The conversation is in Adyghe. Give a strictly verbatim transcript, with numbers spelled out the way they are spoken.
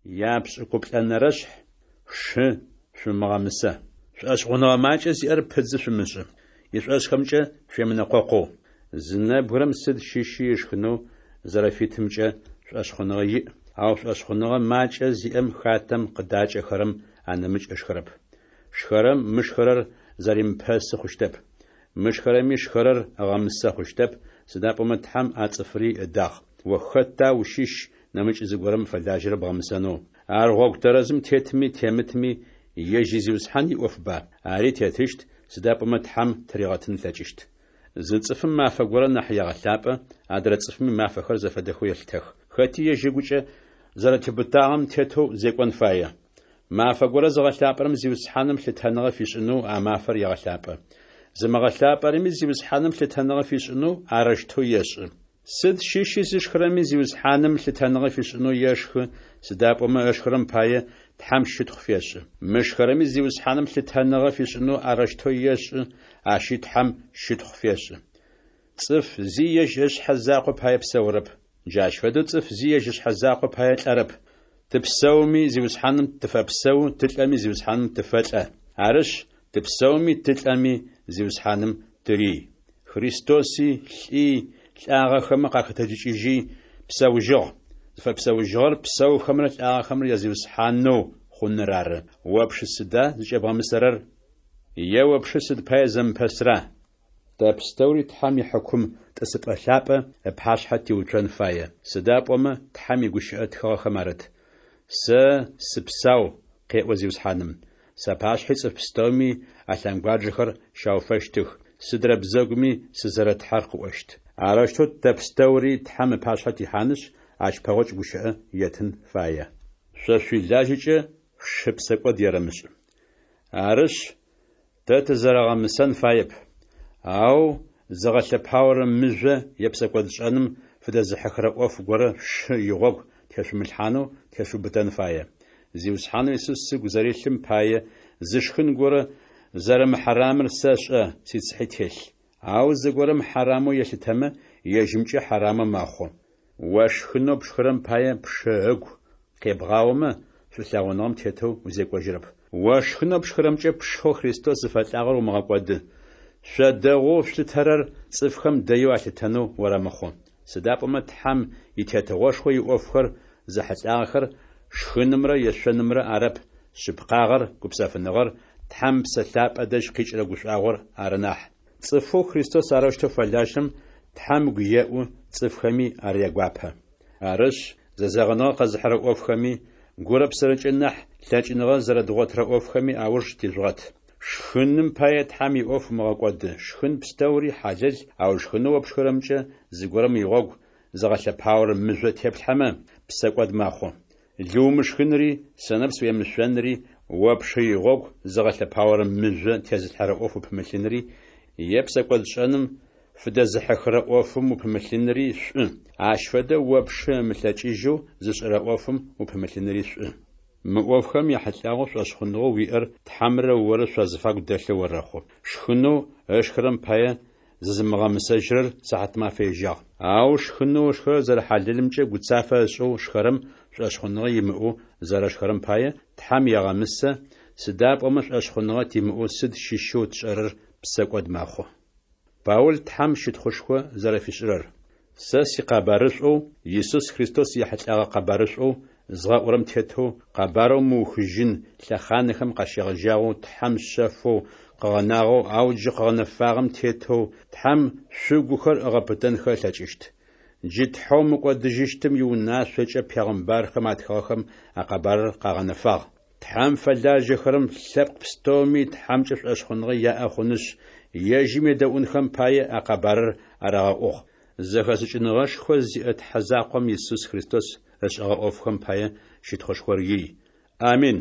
Япшӏыкӏуплӏэнэрэшъхь шъушы шъумыгъэмысэ. Шӏошъхъуныгъэ макӏэ зиӏэр пыдзы шъумышӏы, ишӏошӏхэмкӏэ шъуемынэкъокъоу. Зы нэбгырэм сыд щыщи ышхынэу зэрэфитымкӏэ шӏошъхъуныгъэ иӏ, ау шӏошъхъуныгъэ макӏэ зиӏэм хатэм къыдакӏэхэрэм анэмыкӏ ышхырэп. Шхэрэм мышхэрэр зэримыпэсы хъущтэп. Мышхэрэми шхэрэр ыгъэмысэ хъущтэп, сыда пӏомэ Тхьэм а цӏыфри ыдагъ. О хэта ущыщ нэмыкӏ зыгорэм фэлажьэрэр бгъэмысэнэу? Ар гъогу тэрэзым тетми темытми ежь изиусхьан иӏофба? Ари тетыщт, сыда пӏомэ Тхьэм тыригъэтын ылъэкӏыщт. Зы цӏыфым мафэ горэ нахь егъэлъапӏэ, адрэ цӏыфми мафэхэр зэфэдэхэу елъытэх. Хэти ежь ыгукӏэ зэрэтеубытагъэм тетэу зекӏон фае. Мафэ горэ зыгъэлъапӏэрэм Зиусхьаным лъытэныгъэ фишӏынэу а мафэр егъэлъапӏэ. Зымыгъэлъапӏэрэми Зиусхьаным лъытэныгъэ фишӏынэу арэущтэу ешӏы. Сыд щыщи зышхырэми Зиусхьаным лъытэныгъэ фишӏынэу ешхы, сыда пӏомэ ышхырэм пае Тхьэм щытхъу фешӏы. Мышхэрэми Зиусхьаным лъытэныгъэ фишӏынэу арэущтэу ешӏы, ащи Тхьэм щытхъу фешӏы. Цӏыф зи ежь ышъхьэ закъо пае псэурэп. Джащ фэдэу цӏыф зи ежь ышъхьэ закъо пае лӏэрэп. Тыпсэуми Зиусхьаным тыфэпсэу, тылӏэми Зиусхьаным тыфэлӏэ. Арышъ, тыпсэуми тылӏэми Зиусхьаным тырий. Христоси лӏи, лӏагъэхэмэ къахэтэджыкӏыжьи псэужьыгъ. Зыфэпсэужьыгъэр псэухэмрэ лӏагъэхэмрэ я Зиусхьанэу хъуныр ары. О пшы сыда зыкӏэбгъэмысэрэр? Е о пшы сыд пае зэмыпэсра? Тэ пстэури Тхьэм ихьыкум тӏысыпӏэ лъапӏэ ыпашъхьэ тиуцон фае. Сыда пӏомэ Тхьэм игущыӏэ тхыгъэхэм арыт: «Сэ сыпсау, къеӏо Зиусхьаным. Сапашъхьи цӏыф пстэуми алъэнгуаджэхэр щауфэщтых, сыдрэ бзэгуми сызэрэ Тхьэр къыӏощт». Арэущтэу тэ пстэури Тхьэм ыпашъхьэ тихьанышъ, ащ пэгъокӏ гущыӏэ еттын фае. Шъо шъуилажьэкӏэ шъушы псэкӏод ерэмышӏ. Арышъ, тэ тызэрэгъэмысэн фаеп. Ау зыгъэлъэпаорэ мыжъо е псэкӏодшӏэным фыдэзыхьыхырэ ӏоф горэ шъушы игъогу тешъумылъхьанэу тешъуубытэн фае. Зиусхьанэу Исус сыгу зэрилъым пае зы шхын горэ зэрэмыхьарамыр сэшӏэ, сицыхьи телъ. Ау зыгорэм хьарамэу елъытэмэ, ежьымкӏэ хьарамэу мэхъу. О шхынэу пшхырэм пае пшы ыгу къебгъаомэ, шӏулъэгъуныгъэм тетэу узекӏожьырэп. О шхынэу пшхырэмкӏэ пшэу Христос зыфэлӏагъэр умыгъэкӏоды. Шъо дэгъоу шъулъытэрэр цӏыфхэм дэеу алъытэнэу орэмыхъу. Сыда пӏомэ Тхьэм и Тетыгъошхо иӏофхэр зэхьылӏагъэхэр шхынымрэ ешъонымрэ арэп, шъыпкъагъэр, гупсэфыныгъэр, Тхьэм Ыпсэ Лъапӏэ дэжь къикӏырэ гушӏуагъор ары нахь. Цӏыфэу Христос арэущтэу фэлажьэрэм Тхьэм ыгу еӏу, цӏыфхэми ар ягуапэ. Арышъ, зэзэгъыныгъэ къэзыхьырэ ӏофхэми, гурэ псэрэкӏэ нахь лъэкӏыныгъэ зэрэдгъотырэ ӏофхэми ауж тижъугъэт. Шхыным пае Тхьэм иӏоф умыгъэкӏоды. Шхын пстэури хьалэл, ау шхынэу о пшхырэмкӏэ зыгорэм игъогу зыгъэлъэпаорэ мыжъо теплъхьэмэ, псэкӏод мэхъу. Лы умышхынри, сэнэпс уемышъонри, о пшы игъогу зыгъэлъэпаорэ мыжъо тезылъхьэрэ ӏоф упымылъынри, е псэкӏодшӏэным фыдэзыхьыхырэ ӏофым упымылъынри шӏу. Ащ фэдэ о пшы ымылъэкӏыжьэу зышӏэрэ ӏофым упымылъынри шӏу. Мы ӏофхэм яхьылӏагъэу шӏошъхъуныгъэу уиӏэр Тхьэмрэ орэ шъуазыфагу дэлъэу орэхъу. Шхынэу ышхырэм пае зызымыгъэмысэжьырэр сыхьатмафэ ежьагъ. Ау шхынэу ышхырэр зэрэхьалэлымкӏэ гуцафэ ышӏэу шхэрэм шӏошъхъуныгъэ имыӏэу зэрэшхэрэм пае Тхьэм егъэмысэ, сыда пӏомэ шӏошъхъуныгъэ тимыӏэу сыд щыщэу тшӏэрэр псэкӏод мэхъу. Паул Тхьэм щытхъушхо зэрэфишӏырэр. Сэ сикъэбарышӏоу Исус Христос ехьылӏэгъэ къэбарышӏоу згъэӏурэм тетэу къэбарэу мыухыжьын лъэхъанэхэм къащегъэжьагъэу Тхьэм шъэфэу къыгъэнагъэу, ау джы къыгъэнэфагъэм тетэу Тхьэм шъугухэр ыгъэпытэнхэ ылъэкӏыщт. Джы Тхьэу мыкӏодыжьыщтым иунашъокӏэ пегъымбархэм атхыгъэхэм а къэбарыр къагъэнэфагъ. Тхьэм фэлажьэхэрэм лъэпкъ пстэуми Тхьэмкӏэ шӏошъхъуныгъэ яӏэ хъунышъ, ежьым едэӏунхэм пае а къэбарыр арагъэӏугъ. Зэхэшӏыкӏыныгъэшхо зиӏэ Тхьэ закъом Исус Христос ышӏэгъэ ӏофхэм пае щытхъушхор ий. Амин.